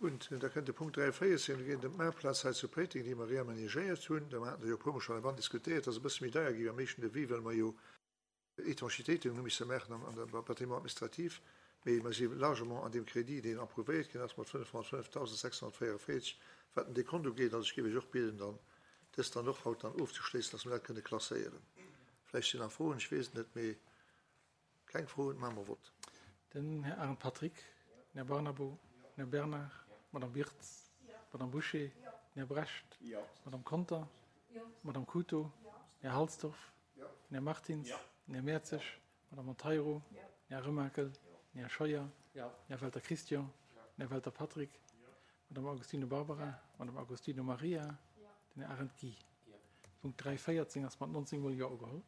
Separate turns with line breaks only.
Hunn. Da kënnt de Punkt 3.14, do geet et ëm d'Maartplaz hei zu Péiteng, déi mer reamenagéiert hunn. Do haten der jo e puermol schonn heibannen diskutéiert. Dat ass e bësse méi deier gi beim éischten Devis, well mer jo Étanchitéiten hu misse maachen an der Bâtiment administratif. Mee mer si largement an deem Crédit, deen approuvéiert ginn ass, mat 505.644, wat den Dekont ugeet. Also ech géif Iech och bieden, dann dëst dann och haut dann ofzeschléissen, dass mer dat kënne klasséieren. Vläicht sinn nach Froen, ech weess et net, mee Keng Froen, maache mer Vott.
Den Här Arendt Patrick, den Här Barnabo, den Här Bernard, d'Madame Wirtz, d'Madame Bouché, den Här Brecht, d'Madame Conter, d'Madame Couto, den Här Halsdorf, den Här Martins, den Här Mertzig, d'Madame Monteiro, den Här Remakel, den Här Scheuer, den Här Welter Christian, den Här Welter Patrick, d'Madame Agostino Barbara, d'Madame Agostino Maria, den Här Arendt Guy. Punkt 3.14 ass mat 19 Mol Jo ugeholl.